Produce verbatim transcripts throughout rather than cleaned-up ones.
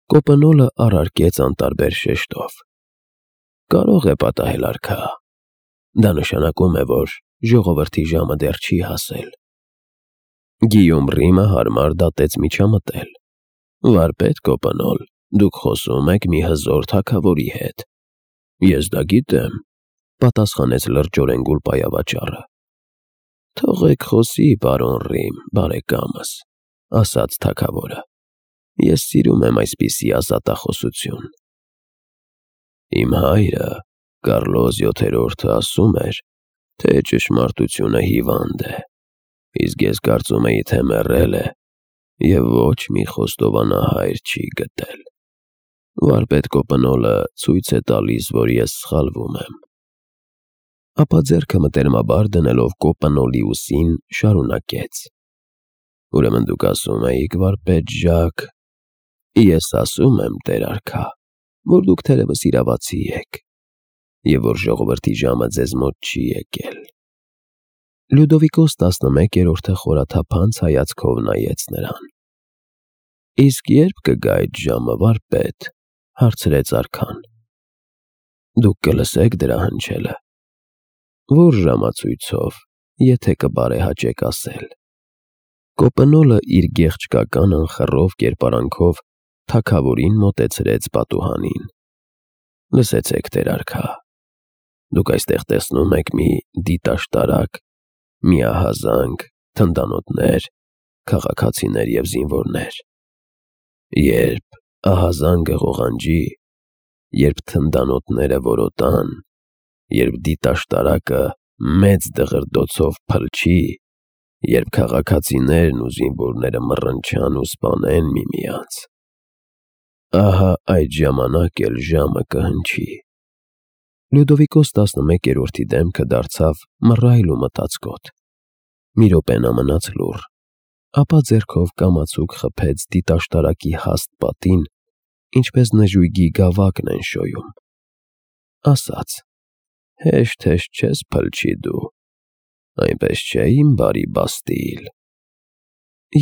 Կոպնոլը առարկեց անտարբեր շեշտով. Կարող է պատահել, արքա, դա նշանակում է, որ ժողովրդի ժամը դեռ չի հասել։ Գիյոմ Ռիմը հարմար դատեց միջամտել. Վարպետ Կոպնոլ, դուք խոսում եք մի հզոր թագավորի հետ։ Ես դա գիտեմ, պատասխանեց լրջորեն գուլպայավաճառը։ Թողեք խոսի, պարոն Ռիմ, բարեկամս, ասաց թագավորը։ Ես սիրում եմ այսպիսի ազատախոսություն։ Իմ հայրը, Կարլոս յոթերորդը, ասում էր, թե ճշմարտությունը հիվանդ է, իսկ ես կարծում էի, թե մեռել է, և ոչ մի խոստովանահայր չի գտել։ Վարպետ Կոպնոլը ցույց է տալիս, որ ես սխալվում եմ։ Ապա ձեռքը մտերմաբար դնելով Կոպնոլի ուսին, շարունակեց. Ուրեմն դուք ասում էիք, վարպետ Ժակ, ես ասում եմ, տեր արքա, որ դուք թերևս իրավացի եք, և որ ժողովրդի ժամը ձեզ մոտ չի եկել։ Լյուդովիկոս տասնմեկերորդը խորաթափանց հայացքով նայեց նրան։ Իսկ ե՞րբ կգա այդ ժամը, վարպետ, հարցրեց արքան։ Դուք կլսեք դրա հնչելը։ Որ ժամացույցով, եթե կբարեհաճեք ասել։ Կոպնոլը իր գեղեցկական անխռով կերպարանքով թագավորին մոտեցրեց պատուհանին։ Լսեցեք, տեր արքա, դուք այստեղ տեսնում եք մի դիտաշտարակ, միահազանգ, թնդանոթներ, քաղաքացիներ և զինվորներ։ Երբ ահազանգը ղողանջի, երբ թնդանոթները որոտան, երբ դիտաշտարակը մեծ դղրդոցով փլչի, երբ քաղաքացիներն ու զինվորները մռնչան ու սպանեն միմյանց, ահա այդ ժամանակ էլ ժամը կհնչի։ Լյուդովիկոս տասնմեկերորդի դեմքը դարձավ մռայլ ու մտածկոտ։ Մի րոպե նա մնաց լուռ, ապա ձեռքով կամացուկ խփեց դիտաշտարակի հաստ պատին, ինչպես նժույգի գավակն են շոյում։ Ասաց. Հեշտ-հեշտ չես փլչի դու, այնպես չէ, իմ բարի Բաստիլ։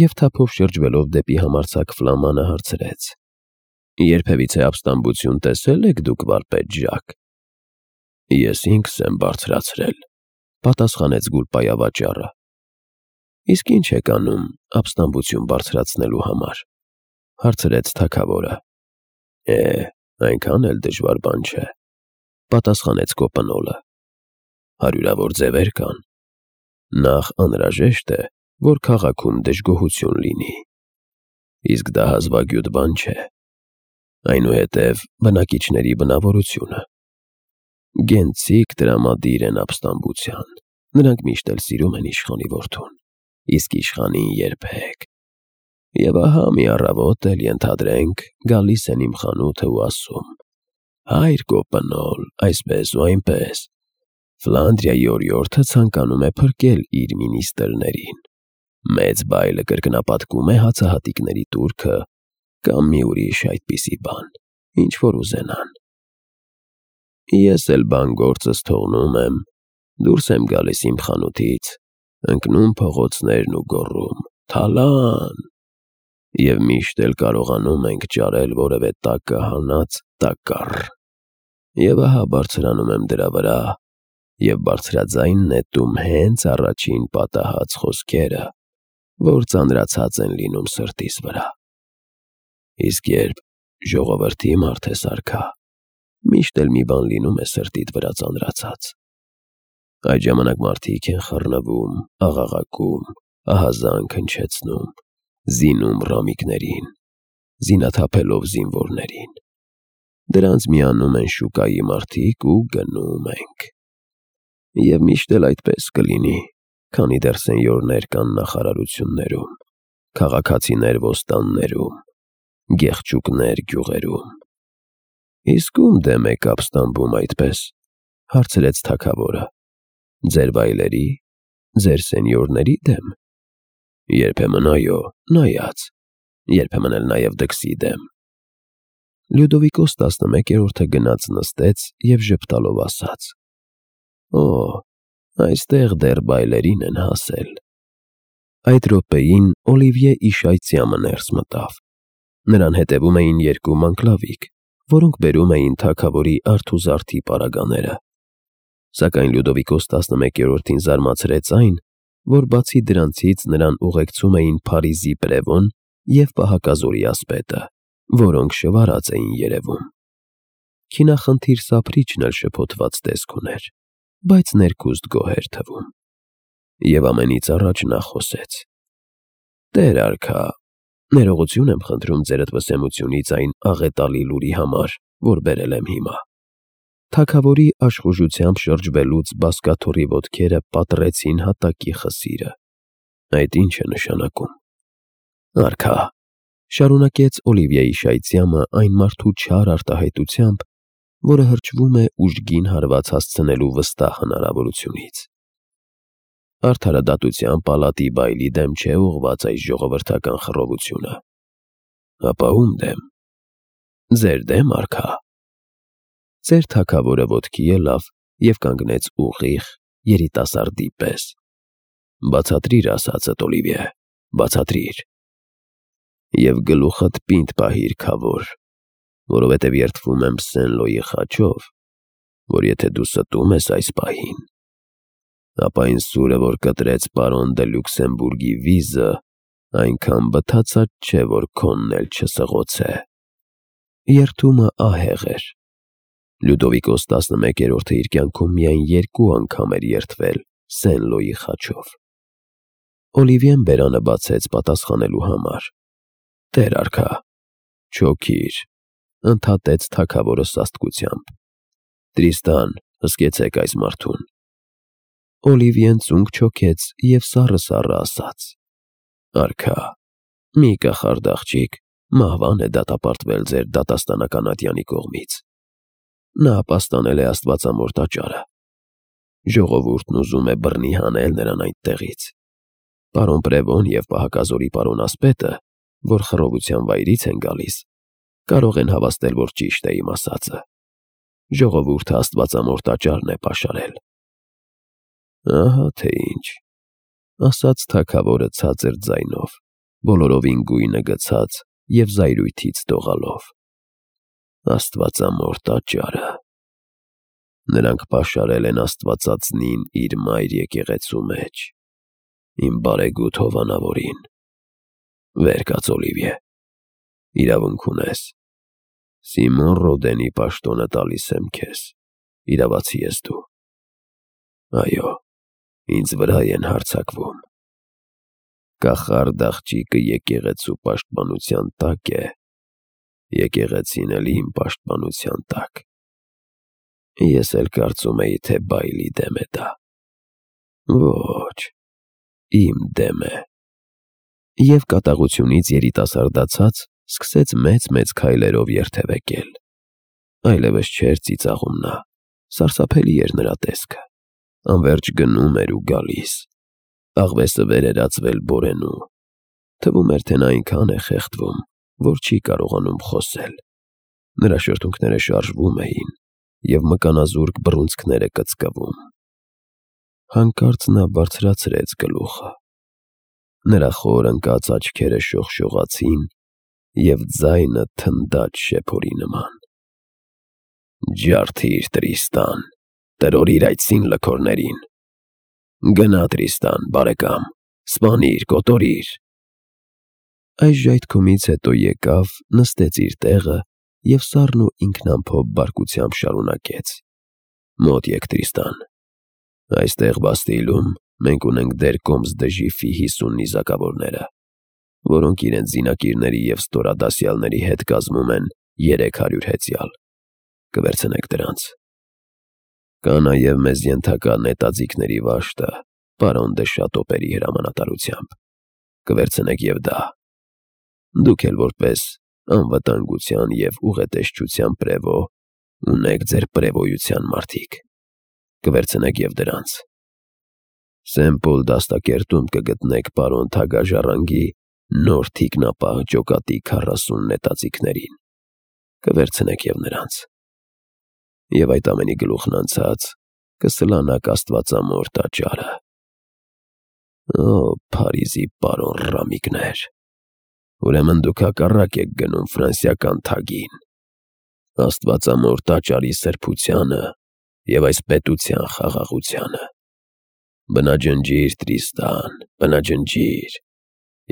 Եվ թափով շրջվելով դեպի համարձակ ֆլամանը հարցրեց. Երբևիցե ապստամբություն տեսել եք դուք, վարպետ Ժակ։ Ես ինքս եմ բարձրացրել, պատասխանեց գուլպայավաճառը։ Իսկ ինչ եք անում ապստամբություն բարձրացնելու համար, հարցրեց թագավորը։ Է, այնքան էլ դժվար բան չէ, պատասխանեց Կոպնոլը։ Հարյուրավոր ձևեր կան։ Նախ անհրաժեշտ է, որ քաղաքում դժգոհություն լինի, իսկ դա հազվագյուտ բան չէ։ Այնուհետև բնակիչների բնավորությունը։ Գենցիկ տրամադիր են ապստամբության, նրանք միշտ էլ սիրում են իշխանի որդուն, իսկ իշխանին երբեք։ Եվ ահա մի առավոտ էլ ենթադրենք գալիս են իմ խանութը ու ասում. Հայր Կոպնոլ, այսպես ու այնպես, Ֆլանդրիայի օրիորդը ցանկանում է փրկել իր մինիստրներին, մեծ բայլը կրկնապատկում է հացահատիկների տուրքը կամ մի ուրիշ այդպիսի բան, ինչ որ ուզենան։ Ես էլ բան գործս թողնում եմ, դուրս եմ գալիս իմ խանութից, ընկնում փողոցներն ու գոռում. Թալան։ Եվ միշտ էլ կարողանում ենք ճարել որևէ տակը հանած տակառ։ Եվ ահա բարձրանում եմ դրա վրա և բարձրաձայն նետում հենց առաջին պատահած խոսքերը, որ ծանրացած են լինում սրտիս վրա։ Իսկ երբ ժողովրդի մարդ ես, արքա, միշտ էլ մի բան լինում է սրտիդ վրա ծանրացած։ Այդ ժամանակ մարդիկ են խռնվում, աղաղակում, ահազանգ հնչեցնում, զինում ռամիկներին, զինաթափելով զինվորներին։ Դրանց միանում են շուկայի մարդիկ ու գնում ենք։ Եվ միշտ էլ այդպես կլինի, քանի դեռ սենյորներ կան նախարարություններում, քաղաքացիներ ոստաններում, գեղչուկներ գյուղերում։ Իսկ ում դեմ եք ապստամբում այդպես, հարցրեց թագավորը։ Ձեր վայլերի, ձեր սենյորների դեմ։ Երբեմն այո, նայած, երբեմն էլ նաև դքսի դեմ։ Լյուդովիկոս տասնմեկերորդը գնաց նստեց և ժպտալով ասաց. Օ, այստեղ դեռ բայլերին են հասել։ Այդ րոպեին Օլիվիե Իշայցյամը ներս մտավ։ Նրան հետևում էին երկու մանկլավիկ, որոնք բերում էին թագավորի արթուզարդի պարագաները։ Սակայն Լյուդովիկոս տասնմեկերորդին զարմացրեց այն, որ բացի դրանցից նրան ուղեկցում էին Փարիզի Պրևոն և պահակազորի ասպետը, որոնք շվարած էին երևում։ Քինախնդիր սափրիչն էլ շփոթված տեսք ուներ, բայց ներքուստ գոհ էր թվում։ Եվ ամենից առաջ նա խոսեց. «Տեր արքա, ներողություն եմ խնդրում ձերդ վսեմությունից այն աղետալի լուրի համար, որ բերել եմ հիմա»։ Թագավորի աշխուժությամբ շրջվելուց բազկաթոռի ոտքերը պատռեցին հատակի խսիրը։ Այդ ի՞նչ է նշանակում։ «Արքա», շարունակեց Օլիվիեի շայծյամը այն մարդու չար արտահայտությամբ, որը հրճվում է ուժգին հարված հասցնելու վստահ հնարավորությունից։ Արդարադատության պալատի բայլի դեմ չէ ուղղված այս ժողովրդական խռովությունը։ Ապա ում դեմ։ Ձեր դեմ, արքա։ Ձեր թագավորը ոտքի ելավ և կանգնեց ուղիղ երիտասարդի պես։ Բացատրիր ասածդ, Օլիվիե, բացատրիր։ Եվ գլուխդ պինդ պահիր, քավոր, որովհետև երդվում եմ Սեն-Լոյի խաչով, որ եթե դու ստում ես այս պահին, ապա այն սուրը, որ կտրեց պարոն դը Լյուքսեմբուրգի վիզը, այնքան բթացած չէ, որ քոնն էլ չսղոցե։ Երդումը ահեղ էր։ Լյուդովիկոս տասնմեկերորդը իր կյանքում միայն երկու անգամ էր երդվել Սեն-Լոյի խաչով։ Օլիվիեն բերանը բացեց պատասխանելու համար։ Տեր արքա, չոքիր, ընդհատեց թագավորը սաստկությամբ։ Տրիստան, հսկեցեք այս մարդուն։ Օլիվիեն ծունկ չոքեց և սառը-սառը ասաց. Արքա, մի կախարդ աղջիկ մահվան է դատապարտվել ձեր դատաստանական ատյանի կողմից։ Նա ապաստանել է աստվածամոր տաճարը։ Ժողովուրդն ուզում է բռնի հանել նրան այդտեղից։ Պարոն Պրևոն և պահակազորի պարոն ասպետը, որ խռովության վայրից են գալիս, կարող են հավաստել, որ ճիշտ է իմ ասածը։ Ժողովուրդը աստվածամոր տաճարն է պաշարել։ Ահա թե ինչ, ասաց թագավորը ցածր ձայնով, բոլորովին գույնը գցած և զայրույթից դողալով։ Աստվածամոր տաճարը։ Նրանք պաշարել են Աստվածածնին իր մայր եկեղեցու մեջ, իմ բարեգութ հովանավորին։ Վեր կաց, Օլիվիե, իրավունք ունես։ Սիմոն Ռոդենի պաշտոնը տալիս եմ քեզ, իրավացի ես դու։ Այո, ինձ վրա են հարձակվում։ Կախարդ աղջիկը եկեղեցու պաշտպանության տակ է, եկեղեցին էլ իմ պաշտպանության տակ։ Ես էլ կարծում էի, թե բայլի դեմ է դա։ Ոչ, իմ դեմ է։ Եվ կատաղությունից երիտասարդացած սկսեց մեծ-մեծ քայլերով երթևեկել։ Այլևս չէր ծիծաղում նա, սարսափելի էր նրա տեսքը։ Անվերջ գնում էր ու գալիս։ Աղվեսը վեր էր ածվել բորենու։ Թվում էր, թե նա այնքան է խեղդվում, որ չի կարողանում խոսել։ Նրա շրթունքները շարժվում էին, և մկանազուրկ բռունցքները կծկվում։ Հանկարծ նա բարձրացրեց գլուխը։ Նրա խոր ընկած աչքերը շողշողացին, և ձայնը թնդաց շեփորի նման։ Ջարդիր, Տրիստան, տրորիր այդ սին լքորներին։ Գնա, Տրիստան, բարեկամ, սպանիր, կոտորիր։ Այս ժայթքումից հետո եկավ, նստեց իր տեղը և սառն ու ինքնամփոփ բարկությամբ շարունակեց. Մոտ եկ, Տրիստան։ Այստեղ Բաստիլում մենք ունենք դեր Կոմս դը Ժիֆի հիսուն նիզակավորները, որոնք իրենց զինակիրների և ստորադասյալների հետ կազմում են երեք հարյուր հեծյալ։ Կվերցնեք դրանց։ Կա նաև մեզ ենթակա նետաձիգների վաշտը, պարոն դը Շատոպերի հրամանատարությամբ։ Կվերցնեք և դա։ Դուք էլ որպես անվտանգության և ուղետեսչության պրևո ունեք ձեր պրևոյության մարդիկ։ Կվերցնեք և դրանց։ Սեն-Պոլ դաստակերտում կգտնեք պարոն Թագաժառանգի նոր թիկնապահ ջոկատի քառասուն նետաձիգներին։ Կվերցնեք և նրանց։ Եվ այդ ամենի գլուխն անցած կսլանաք աստվածամոր տաճարը։ Օ, Փարիզի պարոն Ռամիկներ։ Ուրեմն դուք հակառակ եք գնում ֆրանսիական թագին, աստվածամոր տաճարի սրբությանը և այս պետության խաղաղությանը։ Բնաջնջիր, Տրիստան, բնաջնջիր,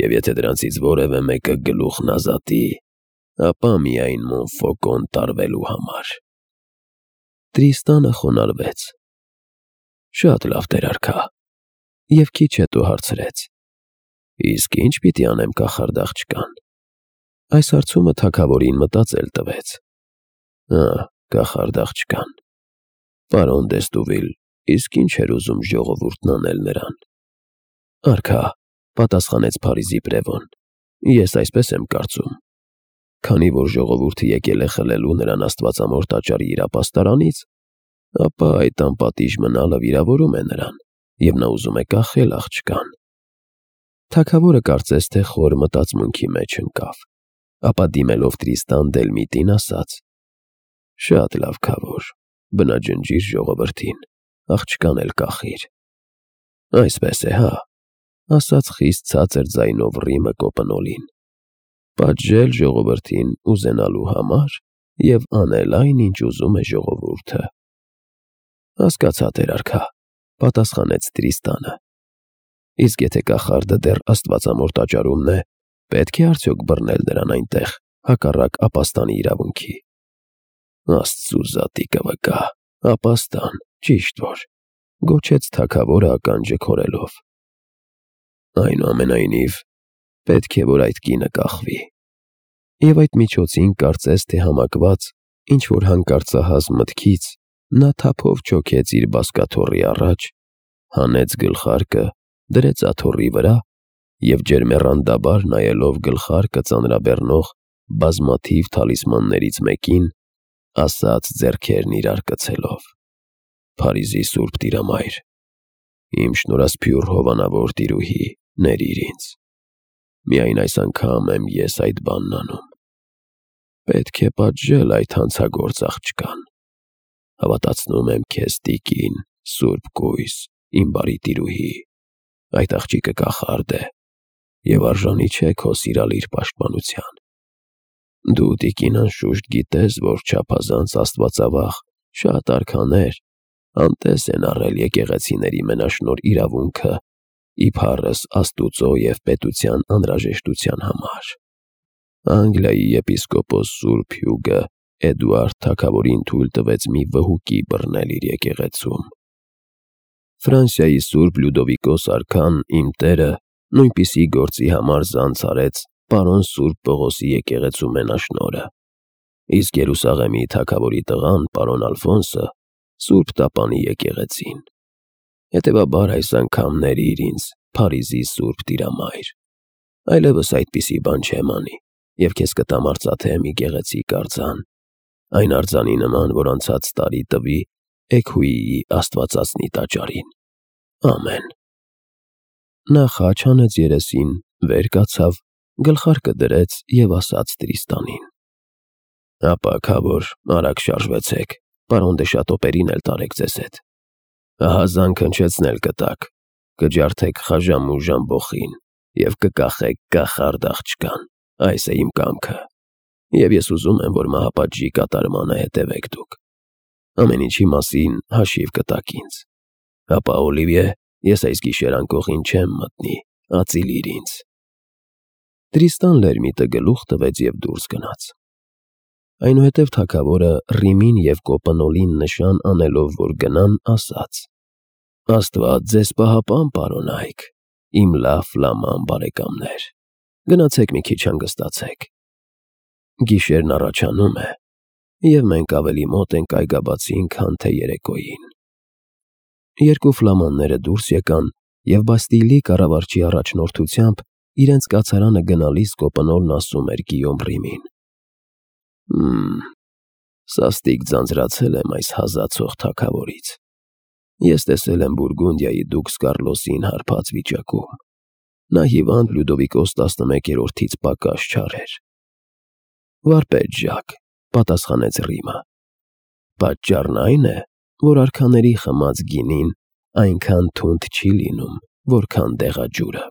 և եթե դրանցից որևէ մեկը գլուխն ազատի, ապա միայն Մոնֆոկոն տարվելու համար։ Տրիստանը խոնարհվեց. Շատ լավ, տեր-արքա, և քիչ հետո հարցրեց. Իսկ ի՞նչ պիտի անեմ կախարդ աղջկան։ Այս հարցումը թագավորին մտածել տվեց։ Ահ, կախարդ աղջկան։ Պարոն Դեստուվիլ իսկ ինչ էր ուզում ժողովուրդն անել նրան։ Արքա, պատասխանեց Փարիզի պրևոն, ես այսպես եմ կարծում. Քանի որ ժողովուրդը եկել է խլելու նրան աստվածամոր տաճարի իրապաստարանից, ապա այդ անպատիժ մնալը վիրավորում է նրան, և նա ուզում է կախել աղջկան։ Թագավորը կարծես թե խոր մտածմունքի մեջ ընկավ, ապա դիմելով Տրիստան Դելմիտին ասաց. Շատ լավ, քավոր, բնաջնջիր ժողովրդին, աղջկան էլ կախիր։ Այսպես է, հա, ասաց խիստ ցածր ձայնով Ռիմը Կոպնոլին, պատժել ժողովրդին ուզենալու համար և անել այն, ինչ ուզում է ժողովուրդը։ Հասկացա, տեր-արքա, պատասխանեց Տրիստանը։ Իսկ եթե կախարդը դեռ աստվածամոր տաճարումն է, պետք է արդյոք բռնել նրան այնտեղ, հակառակ ապաստանի իրավունքի։ Աստծու զատիկը վկա, ապաստան, ճիշտ որ, գոչեց թագավորը ականջը քորելով։ Այնուամենայնիվ, պետք է, որ այդ կինը կախվի։ Եվ այդ միջոցին կարծես թե համակված ինչ-որ հանկարծահաս մտքից, նա թափով չոքեց իր բազկաթոռի առաջ, հանեց գլխարկը, դրեց աթոռի վրա և ջերմեռանդաբար նայելով գլխարկը ծանրաբեռնող բազմաթիվ թալիսմաններից մեկին, ասաց ձեռքերն իրար կցելով. Փարիզի Սուրբ Տիրամայր, իմ շնորհասփյուռ հովանավոր տիրուհի, ներիր ինձ։ Միայն այս անգամ եմ ես այդ բանն անում։ Պետք է պատժել այդ հանցագործ աղջկան։ Հավատացնում եմ քեզ, տիկին, Սուրբ Կույս, իմ բարի տիրուհի, այդ աղջիկը կախարդ է և արժանի չէ քո սիրալիր պաշտպանության։ Դու, տիկին, անշուշտ գիտես, որ չափազանց աստվածավախ շատ արքաներ անտես են առել եկեղեցիների մենաշնորհ իրավունքը իբարս Աստուծո և պետության անհրաժեշտության համար։ Անգլիայի եպիսկոպոս Սուրբ Հյուգը Էդուարդ թագավորին թույլ տվեց մի վհուկի բռնել իր եկեղեցում։ Ֆրանսիայի Սուրբ Լյուդովիկոս արքան, իմ տերը, նույնպիսի գործի համար զանց արեց պարոն Սուրբ Պողոսի եկեղեցու մենաշնորհը, իսկ Երուսաղեմի թագավորի տղան, պարոն Ալֆոնսը, Սուրբ Տապանի եկեղեցին։ Հետևաբար այս անգամ ներիր ինձ, Փարիզի Սուրբ Տիրամայր, այլևս այդպիսի բան չեմ անի, և քեզ կտամ արծաթե մի գեղեցիկ արձան, այն արձանի նման, որ անցած տարի տվի Էգուիի աստվածածնի տաճարին։ Ամեն։ Նա խաչ հանեց երեսին, վեր կացավ, գլխարկը դրեց և ասաց Տրիստանին. Ապա, քավոր, արագ շարժվեցեք, պարոն դե Շատոպերին էլ տարեք ձեզ հետ։ Ահա զանգ հնչեցնել կտաք, կջարդեք խաժամ ու ժամբոխին և կկախեք կախարդ աղջկան, այս է իմ կամքը, և ես ուզում եմ, որ մահապատժի կատարմանը հետևեք դուք։ Ամեն ինչի մասին հաշիվ կտաք ինձ։ Ապա, Օլիվիե, ես այս գիշեր անկողին չեմ մտնի, ածիլիր ինձ։ Տրիստան Լերմիտը գլուխ տվեց և դուրս գնաց։ Այնուհետև թագավորը Ռիմին և Կոպնոլին նշան անելով, որ գնան, ասաց. Աստված ձեզ պահապան, պարոն Այք, իմ լավ ֆլաման բարեկամներ, գնացեք մի քիչ հանգստացեք։ Գիշերն առաջանում է, և մենք ավելի մոտ ենք այգաբացին, քան թե երեկոյին։ Երկու ֆլամանները դուրս եկան, և Բաստիլի կառավարչի առաջնորդությամբ իրենց կացարանը գնալիս Կոպնոլն ասում էր Գիյոմ Ռիմին. Հըմ, սաստիկ ձանձրացել եմ այս հազացող թագավորից։ Ես տեսել եմ Բուրգունդիայի դուքս Կարլոսին հարբած վիճակում։ Նա հիվանդ Լյուդովիկոս տասնմեկերորդից պակաս չար էր։ Վարպետ Ժակ, պատասխանեց Ռիմը, պատճառն այն է, որ արքաների խմած գինին այնքան թունդ չի լինում, որքան դեղաջուրը։